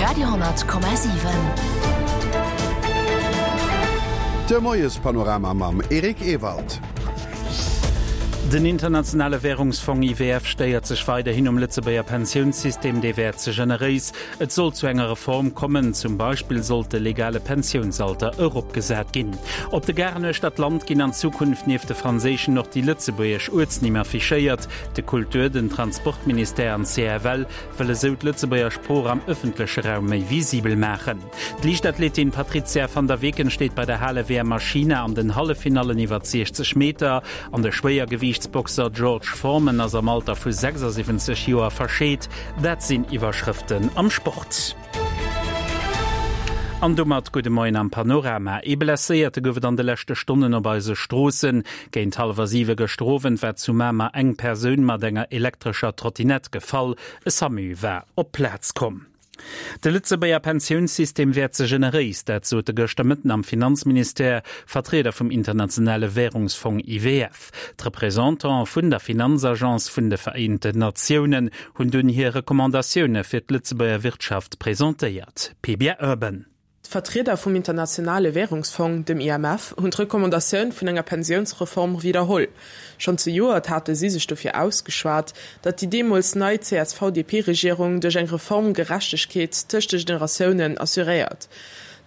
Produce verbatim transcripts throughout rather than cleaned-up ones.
Radio Komma siwen. De Moiespanorama mam Eric Ewald. Den internationale Wärungsfong I W F stéiert sech weiderhin um Lëtzebuerger Pensiounssystem, dee wär ze generéis. Et soll zu enger Reform kommen, zum Beispill sollt de legale Pensiounsalter eropgesat ginn. Op de Garen uechter d'Land ginn an Zukunft nieft de franséischen och déi lëtzebuergesch Uertsnimm affichéiert. De Kultur-, den Transportministère an d'C F L wëlle sou d'Lëtzebuerger Sprooch am ëffentleche Raum méi visibel maachen. D'Liichtathletin Patrizia van der Weken steet bei der Hale-W M a China an den Halleffinallen iwwer sechzeg Meter. An de Schwéiergewiichtsboxer George Foreman ass am Alter vu sechsasiwwenzeg Joer verscheet. Dat sinn Iwwerschrëften am Sport. An domat gudde Moien am Panorama. Ee Blesséierte gouf et an de leschte Stonnen op eise Stroossen. Géint hallwer siwe gëschter Owend war zu Mamer eng Persoun mat enger elektrescher Trottinett gefall. E SAMU war op d'Plaz komm. De Lëtzebuerger Pensiounssystem wär ze generéis, dat sote gëschter Mëtten am Finanzministère Vertrieder vum internationale Wärungsfong I W F. D'Representantë vun der Finanzagence vun de Vereenten Natiounen hunn dunn hir Recommandatioune fir d'Lëtzebuerger Wirtschaft presentéiert. P B Urban. D'Vertrieder vum internationale Wärungsfong, dem I M F, hunn d'Recommandatioun vun enger Pensiounsreform widderholl. Schonn zejoert hate si sech dofir ausgeschwat, datt déi deemools nei C S V-D P-Regierung duerch eng Reform Gerechtegkeet tëscht de Generatiounen assuréiert.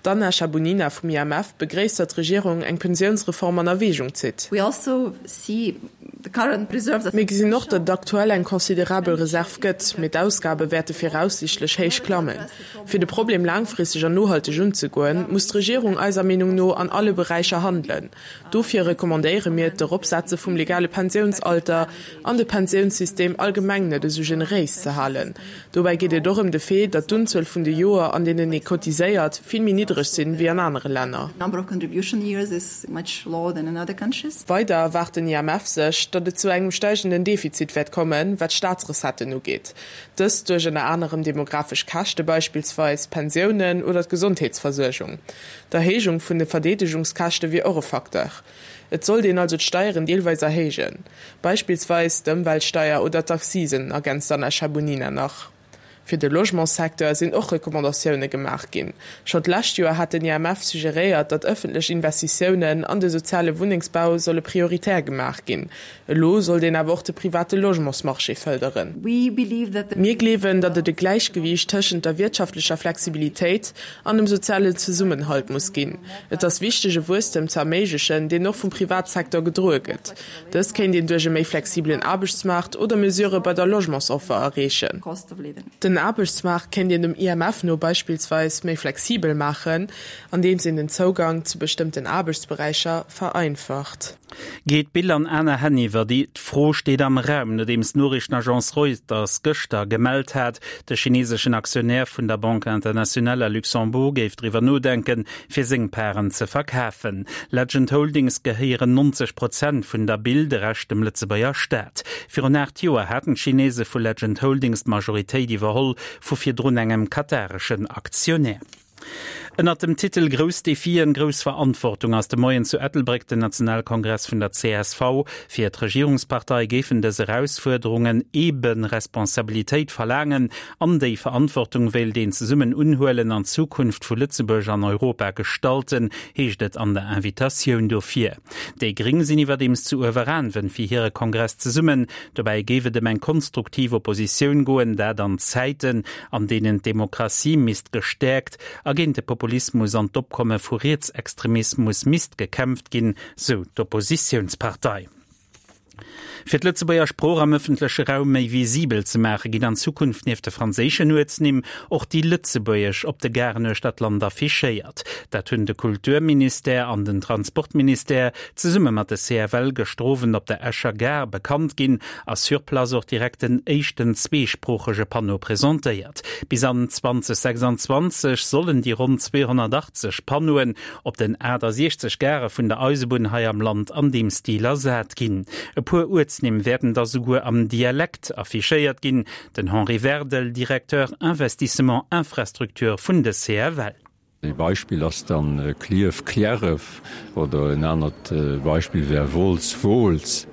D'Anna Chabunina vum I M F begréisst, datt d'Regierung eng Pensiounsreform an Erwägung zitt. We also see the current reserves Mir gesinn och, datt et aktuell eng considerabel Reserv gëtt, mee d'Ausgabe wäerte viraussiichtlech héich klammen. Fir de Problem laangfristeg an nohalteg unzegoen, muss d'Regierung eiser Meenung no an alle Beräicher handelen. Dofir recommandéiere mir d'Eropsetze vum legale Pensiounsalter an de Pensiounssystem allgemeng net esou generéis ze halen. Dobäi geet et och ëm de Fait, datt d'Unzuel vun de Joer, an deenen ee cotiséiert, vill méi niddreg sinn wéi an anere Länner. Number of contribution years is much lower than in other countries. Weider erwaart den I M F sech, datt et zu engem steigenden Defizit wäert kommen, wat d'Staatsrecetten ugeet. Dëst duerch ënner anerem demografesch Käschte, beispillsweis Pensiounen oder d'Gesondheetsversuergung. D'Erhéijung vun de Verdeedegungskäschte wier och e Facteur. Et sollt een also d'Steieren deelweis erhéijen. Beispillsweis d'Ëmweltsteier oder d'Accisen, ergänzt Anna Chabunina nach. Fir de Logementssecteur sinn och Recommandatioune gemaach ginn. Schonn d'lescht Joer hat den I M F suggeréiert, datt ëffentlech Investitiounen an de soziale Wunnengsbau solle prioritär gemaach ginn. Elo sollt een awer och de private Logementsmarché fërderen. We believe that the Mir gleewen, datt et e Gläichgewiicht tëschent der wirtschaftlecher Flexibilitéit an dem sozialen Zesummenhalt muss ginn. Et ass wichteg, e Wuesstem ze erméiglechen, deen och vum Privatsecteur gedroe gëtt. Dëst kéint een duerch e méi flexibelen Aarbechtsmaart oder Mesurë bei der Logementsoffer erreechen. Cost of living. Den Aarbechtsmaart kéint een dem I M F no beispillsweis méi flexibel maachen, andeems een den Zougang zu bestëmmten Aarbechtsberäicher vereinfacht. Geet d'Bill an aner Hänn iwwer? Déi Fro steet am Raum, nodeems d'Noriichtenagence Reuters gëschter gemellt hat, de chineeseschen Aktionär vun der Banque Internationale à Luxembourg géif driwwer nodenken, fir seng Paren ze verkafen. Legend Holdings gehéieren neunzeg Prozent vun der Bill, de Rescht dem Lëtzebuerger Staat. Virun aacht Joer haten d'Chinese vu Legend Holdings d'Majoritéit iwwerholl vu virdrun engem katareschen Aktionär. Ënnert dem Titel Grouss Defien, grouss Verantwortung ass de Moien zu Ettelbréck den Nationalkongress vun der C S V. Fir d'Regierungspartei géifen dës Erausfuerderungen eben Responsabilitéit verlaangen, an déi Verantwortung wéilt een zesummen unhuelen an d'Zukunft vu Lëtzebuerg an Europa gestalten, heescht et an der Invitatioun dofir. Déi Gréng sinn iwwerdeems zu Ueweraanwen fir hire Kongress zesummen. Dobäi géif et ëm eng konstruktiv Oppositioun goen, dat an Zäiten, an deenen d'Demokratie misst gestäerkt a géint de Populismus an d'Opkomme vu Rietsextremismus misst gekämpft ginn, sou d'Oppositiounspartei. Fir d'Lëtzebuerger Sprooch am ëffentleche Raum méi visibel ze maachen, ginn an Zukunft nieft de franséischen Uertsnimm och déi lëtzebuergesch op de Garen uechter d'Land affichéiert. Dat hunn de Kulturministère an den Transportministère zesumme mat de C F L gëschter Owend op der Escher Gare bekannt ginn a sur place och direkt den éischten zweesproochege Panneau presentéiert. Bis an zweedausendsechsanzwanzeg sollen déi ronn zweehonnertachtzeg Panneauen op den aachtasechzeg Gare vun der Eisebunn hei am Land an deem Stil ersat ginn. E puer Uertsnimm wäerten da souguer am Dialekt affichéiert ginn. Den Henri Werdel, Directeur Investissement Infrastructure vun de C F L. E Beispill ass dann äh, Klierf, Kläref oder en anert äh, Beispill wär Wolz, Wooltz.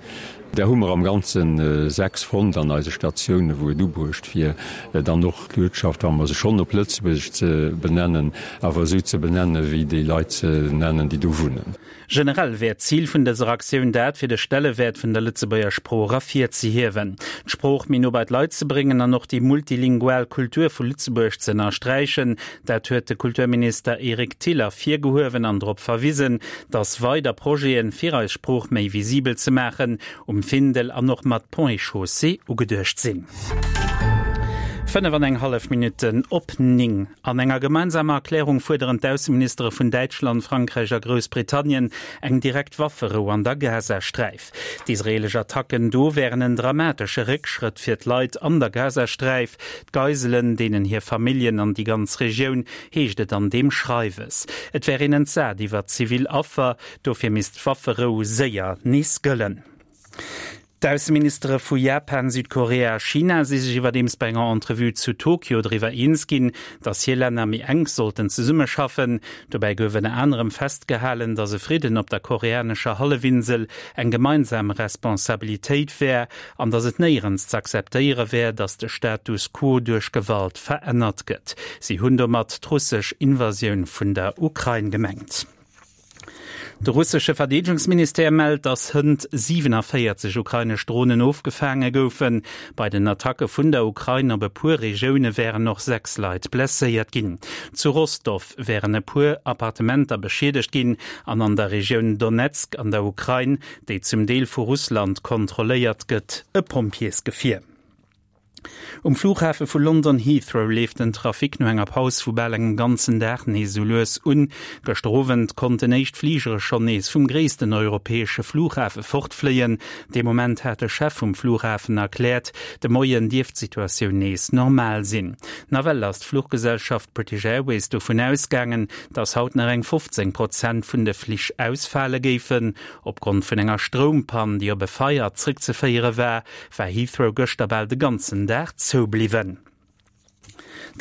Där hu mer am Ganze sechs fonnt an eise Statiounen, wou et ubruecht wier, dann och d'Uertschaft, wa mer se schonn op Lëtzebuergesch ze benennen, awer esou ze benennen, wéi déi Leit se nennen, déi do wunnen. Generell wär d'Zil vun dëser Aktioun dat, fir de Stellewäert vun der Lëtzebuerger Sprooch ervirzehiewen, d'Sprooch méi no bei d'Leit ze bréngen an och déi multilingual Kultur vu Lëtzebuerg ze ënnersträichen. Dat huet de Kulturminister Eric Thill ervirgehuewen an drop verwisen, datt weider Projeten, fir eis Sprooch méi visibel ze maachen, um Findel an och mat Ponts et Chaussées ugeduecht sinn. Fënnef an eng hallef Minutten op néng. An enger gemeinsamer Erklärung fuerderen d'Ausseministere vun Däitschland, Frankräich a Groussbritannien eng direkt Wafferou an der Gazasträif. D'israeelesch Attacken do wären en dramatesche Réckschrëtt fir d'Leit an der Gazasträif, d'Geiselen, deenen hir Familljen an déi ganz Regioun, heescht et an deem Schreiwes. Et wär een entsat iwwer zivil Affer, dofir misst d'Wafferou séier nees gëllen. D'Ausseministere vu Japan, Südkorea a China si sech iwwerdeems bei enger Entrevue zu Tokio driwwer eens ginn, datt hir Länner méi enk sollten zesummeschaffen. Dobäi gouf ënner anerem festgehalen, datt e Fridden op der koreanescher Hallefinsel eng gemeinsam Responsabilitéit wär an datt et néierens z'akzeptéiere wär, datt de Status quo duerch Gewalt verännert gëtt. Si hunn domat d'russesch Invasioun vun der Ukrain gemengt. De russesche Verdeedegungsministère mellt, datt hënt siwenavéierzeg ukrainesch Dronen ofgefaange goufen. Bei den Attacke vun der Ukrain op e puer Regioune wären och sechs Leit blesséiert ginn. Zu Rostow wären e puer Appartementer beschiedegt ginn an an der Regioun Donezk an der Ukrain, déi zum Deel vu Russland kontrolléiert gëtt, e Pompjeesgefier. Um Flughafe vu London Heathrow leeft den Trafic no enger Paus vu bal engem ganzen Dag nees esou lues un. Gëschter Owend konnten éischt Fligere schonn nees vum gréissten europäesche Flughafe fortfléien. Dee Moment hat de Chef vum Flughafen erkläert, de Moien dierft d'Situatioun nees normal sinn. Nawell ass d'Fluchgesellschaft British Airways dovun ausgaangen, datt haut nach eng fofzéng Prozent vun de Flich ausfale géifen. Opgrond vun enger Stroumpann, déi op e Feier zréckzeféiere war, war Heathrow gëschter bal de ganzen Dag zou bliwwen.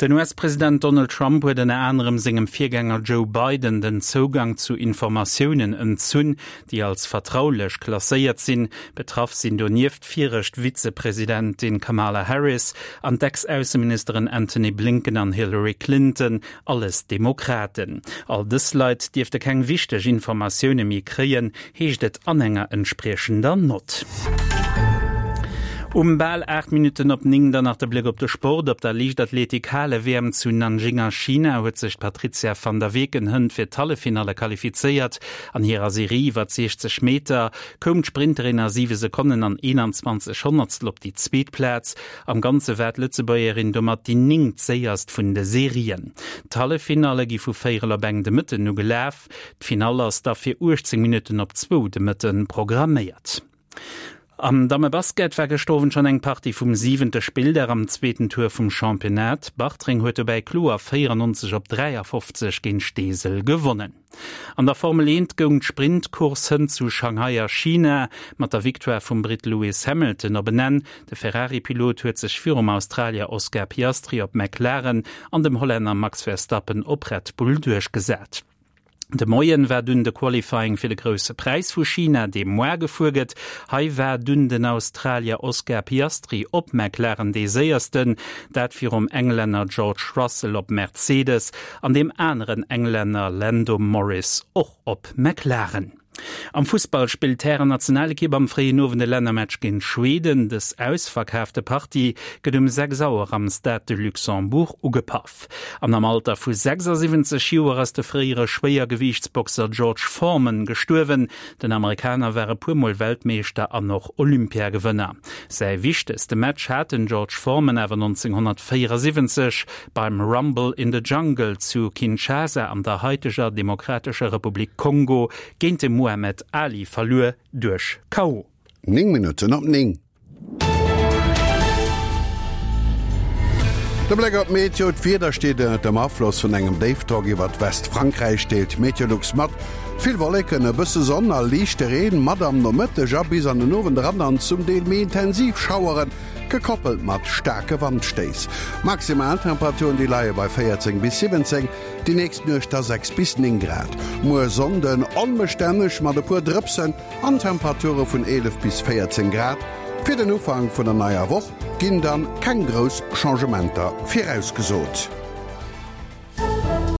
Den U S-President Donald Trump huet ënner anerem sengem Virgänger Joe Biden den Zougang zu Informatiounen entzunn, déi als vertraulech klasséiert sinn. Betraff sinn donieft d'viregt Vizepresidentin Kamala Harris an d'Ex-Ausseministeren Antony Blinken an Hillary Clinton, alles Demokraten. All dës Leit dierfte keng wichteg Informatioune méi kréien, heescht et an enger entspriechender Nott. Um bal aacht Minutten op néng dann nach de Bléck op de Sport. Op der Liichtathletik-Hale-W M zu Nanjing a China huet sech d'Patrizia van der Weken hënt fir d'Halleffinalle qualifizéiert. An hirer Serie iwwer siechzeg Meter koum d'Sprinterin a siwe Sekonnen an eenanzwanzeg Honnertstel op déi zweet Plaz. Am Ganze war d'Lëtzebuergerin domat déi néngt séierst vun de Serien. D'Halleffinalle gi vu véierel op eng de Mëtten u gelaf. D'Finall ass da fir uechtzéng Minutten op zwou de Mëtten programméiert. Am Dammebasket war gëschter Owend schonn eng Partie vum siwente Spilldag am zweeten Tour vum Championnat. Bartreng huet dobäi kloer véierannonzeg op dräiafofzeg géint Steesel gewonnen. An der Formel eent goung d'Sprintcourse hënt zu Shanghai a China mat der Victoire vum Britt Lewis Hamilton op en Enn. De Ferrari-Pilot huet sech virum Australier Oscar Piastri op McLaren an dem Hollänner Max Verstappen op Red Bull duerchgesat. De Moien war dunn de Qualifying fir de Grousse Präis vu China, dee muer gefuer gëtt. Hei war dunn den Australier Oscar Piastri op McLaren dee Séiersten, dat virum Englänner George Russell op Mercedes an deem aneren Englänner Lando Norris och op McLaren. Am Fussball spillt d'Hären-Nationalekipp am fréien Owend e Lännermatch géint Schweden. Dës ausverkaafte Partie gëtt um sechs Auer am Stade de Luxembourg ugepaff. An am Alter vu sechsasiwwenzeg Joer ass de fréiere Schwéiergewiichtsboxer George Foreman gestuerwen. Den Amerikaner war e puer Mol Weltmeeschter an och Olympiagewënner. Säi wichtegste Match hat den George Foreman awer nonzénghonnertvéierasiwwenzeg beim Rumble in the Jungle zu Kinshasa an der haiteger Demokratescher Republik Kongo géint de Muhammad Ali verluer duerch K O. Néng Minutten op néng. De Bléck op d'Meteo, D'Wieder steet ënnert dem Afloss vun engem Déifdrock iwwert Westfrankräich, deelt Meteolux mat. Vill Wolleken, e bësse Sonn a liichte Reen, mat am Nomëtteg a bis an den Owend eran dann zum Deel méi intensiv Schaueren, gekoppelt mat staarke Wandstéiss. Maximaltemperaturen, déi leie bei véierzéng bis siwwenzéng, déi nächst Nuecht da sechs bis néng Grad. Muer Sonnden onbestänneg mat e puer Drëpsen an Temperature vun eelef bis véierzéng Grad. Fir den Ufank vun der neier Woch ginn dann keng grouss Changementer virausgesot.